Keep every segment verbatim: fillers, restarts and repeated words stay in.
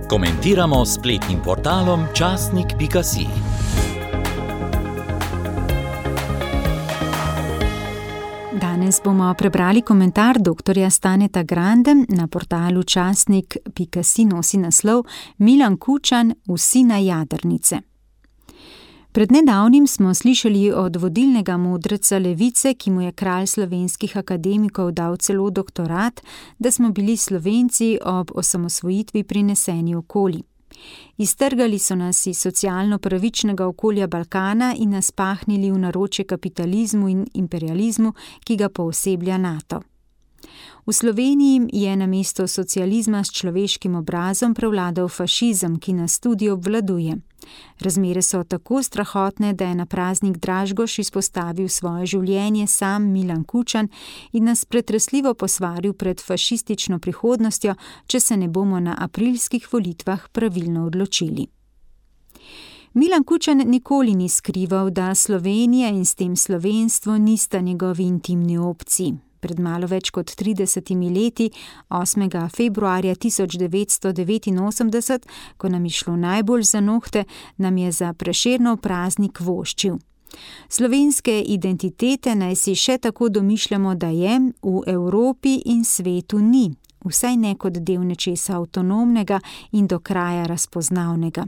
Komentiramo s spletnim portalom časnik pika si. Danes bomo prebrali komentar doktorja Staneta Grande na portalu časnik pika si, nosi naslov Milan Kučan, Vsi na jadrnice. Pred nedavnim smo slišali od vodilnega modreca levice, ki mu je kralj slovenskih akademikov dal celo doktorat, da smo bili Slovenci ob osamosvojitvi prineseni okoli. Iztrgali so nas iz socialno pravičnega okolja Balkana in nas pahnili v naročje kapitalizmu in imperializmu, ki ga pooseblja NATO. V Sloveniji je namesto socializma s človeškim obrazom prevladal fašizem, ki nas tudi obvladuje. Razmere so tako strahotne, da je na praznik Dražgoš izpostavil svoje življenje sam Milan Kučan in nas pretresljivo posvaril pred fašistično prihodnostjo, če se ne bomo na aprilskih volitvah pravilno odločili. Milan Kučan nikoli ni skrival, da Slovenija in s tem slovenstvo nista njegovi intimni opciji. Pred malo več kot tridesetimi leti, osmega februarja tisoč devetsto devetinosemdeset, ko nam je šlo najbolj za nohte, nam je za Prešernov praznik voščil. Slovenske identitete naj si še tako domišljamo, da je, v Evropi in svetu ni, vsaj ne kot del nečesa avtonomnega in do kraja razpoznavnega.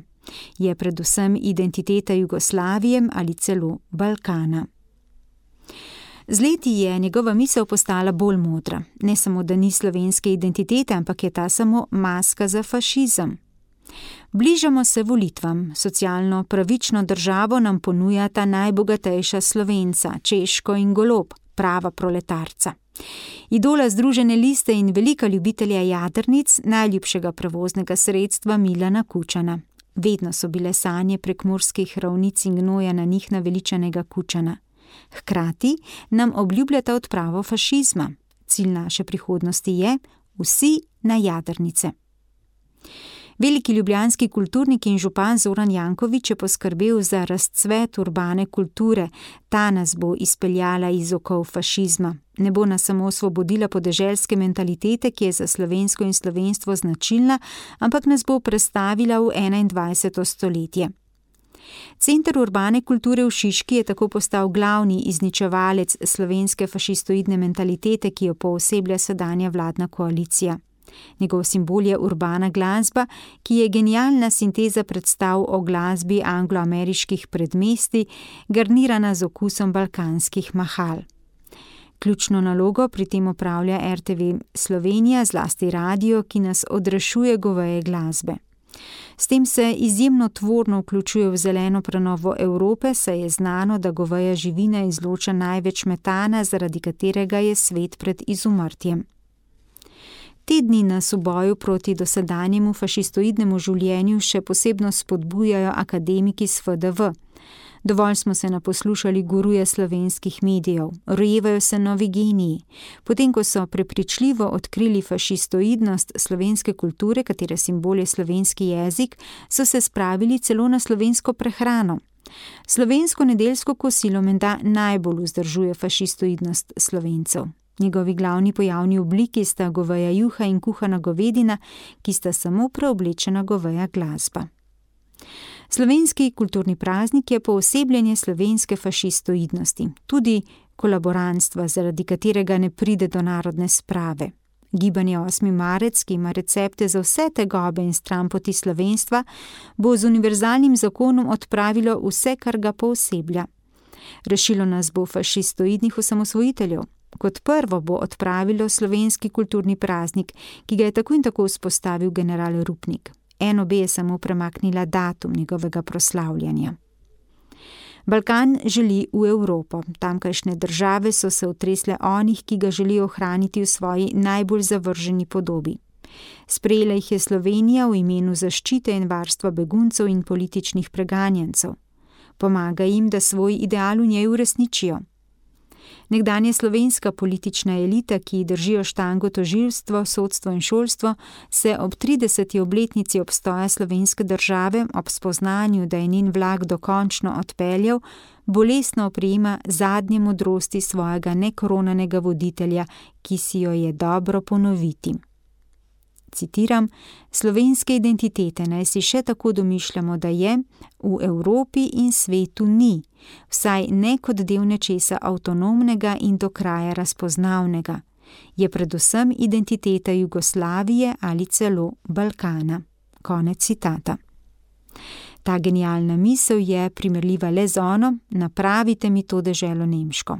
Je predvsem identiteta Jugoslavije ali celo Balkana. Z leti je njegova misel postala bolj modra. Ne samo, da ni slovenske identitete, ampak je ta samo maska za fašizem. Bližamo se volitvam. Socialno pravično državo nam ponujata najbogatejša Slovenca, Češko in Golob, prava proletarca. Idola Združene liste in velika ljubitelja jadrnic, najljubšega prevoznega sredstva Milana Kučana. Vedno so bile sanje prekmurskih ravnic in gnoja na njih naveličanega Kučana. Hkrati nam obljubljata odpravo fašizma. Cilj naše prihodnosti je vsi na jadrnice. Veliki ljubljanski kulturnik in župan Zoran Janković je poskrbel za razcvet urbane kulture. Ta nas bo izpeljala iz okov fašizma. Ne bo nas samo osvobodila podeželske mentalitete, ki je za slovensko in slovenstvo značilna, ampak nas bo prestavila v enaindvajseto stoletje. Center urbane kulture v Šiški je tako postal glavni izničevalec slovenske fašistoidne mentalitete, ki jo pooseblja sedanja vladna koalicija. Njegov simbol je urbana glasba, ki je genialna sinteza predstav o glasbi angloameriških predmestij, garnirana z okusom balkanskih mahal. Ključno nalogo pri tem opravlja er te ve Slovenija, zlasti radio, ki nas odrešuje goveje glasbe. S tem se izjemno tvorno vključuje v zeleno prenovo Evrope, saj je znano, da goveja živina izloča največ metana, zaradi katerega je svet pred izumrtjem. Te dni nas v boju proti dosedanjemu fašistoidnemu življenju še posebno spodbujajo akademiki s fe de ve. Dovolj smo se naposlušali guruje slovenskih medijev, rojevajo se novi geniji. Potem, ko so prepričljivo odkrili fašistoidnost slovenske kulture, katere simbol je slovenski jezik, so se spravili celo na slovensko prehrano. Slovensko nedeljsko kosilo menda najbolj vzdržuje fašistoidnost Slovencev. Njegovi glavni pojavni obliki sta goveja juha in kuhana govedina, ki sta samo preoblečena goveja glasba. Slovenski kulturni praznik je poosebljenje slovenske fašistoidnosti, tudi kolaborantstva, zaradi katerega ne pride do narodne sprave. Gibanje osmi marec, ki ima recepte za vse tegobe in stranpoti slovenstva, bo z univerzalnim zakonom odpravilo vse, kar ga pooseblja. Rešilo nas bo fašistoidnih osamosvojiteljev. Kot prvo bo odpravilo slovenski kulturni praznik, ki ga je tako in tako vzpostavil general Rupnik. Eno be je samo premaknila datum njegovega proslavljanja. Balkan želi v Evropo. Tamkajšnje države so se otresle onih, ki ga želijo ohraniti v svoji najbolj zavrženi podobi. Sprejela jih je Slovenija v imenu zaščite in varstva beguncev in političnih preganjencev. Pomaga jim, da svoj ideal v njej uresničijo. Nekdanja slovenska politična elita, ki držijo štango tožilstvo, sodstvo in šolstvo, se ob trideseti obletnici obstoja slovenske države, ob spoznanju, da je njen vlak dokončno odpeljal, bolestno oprijema zadnje modrosti svojega nekoronanega voditelja, ki si jo je dobro ponoviti. citiram: "Slovenske identitete naj si še tako domišljamo, da je, v Evropi in svetu ni, vsaj ne kot del nečesa avtonomnega in do kraja razpoznavnega. Je predvsem identiteta Jugoslavije ali celo Balkana." Konec citata. Ta genialna misel je primerljiva le z ono: "Napravite mi to deželo nemško."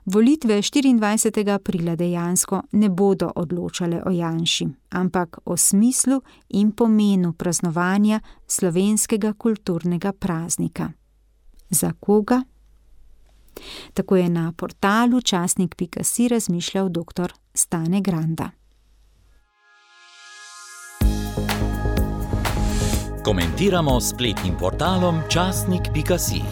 Volitve štiriindvajsetega aprila dejansko ne bodo odločale o Janši, ampak o smislu in pomenu praznovanja slovenskega kulturnega praznika. Za koga? Tako je na portalu časnik pika si razmišljal doktor Stane Granda. Komentiramo s spletnim portalom časnik pika si.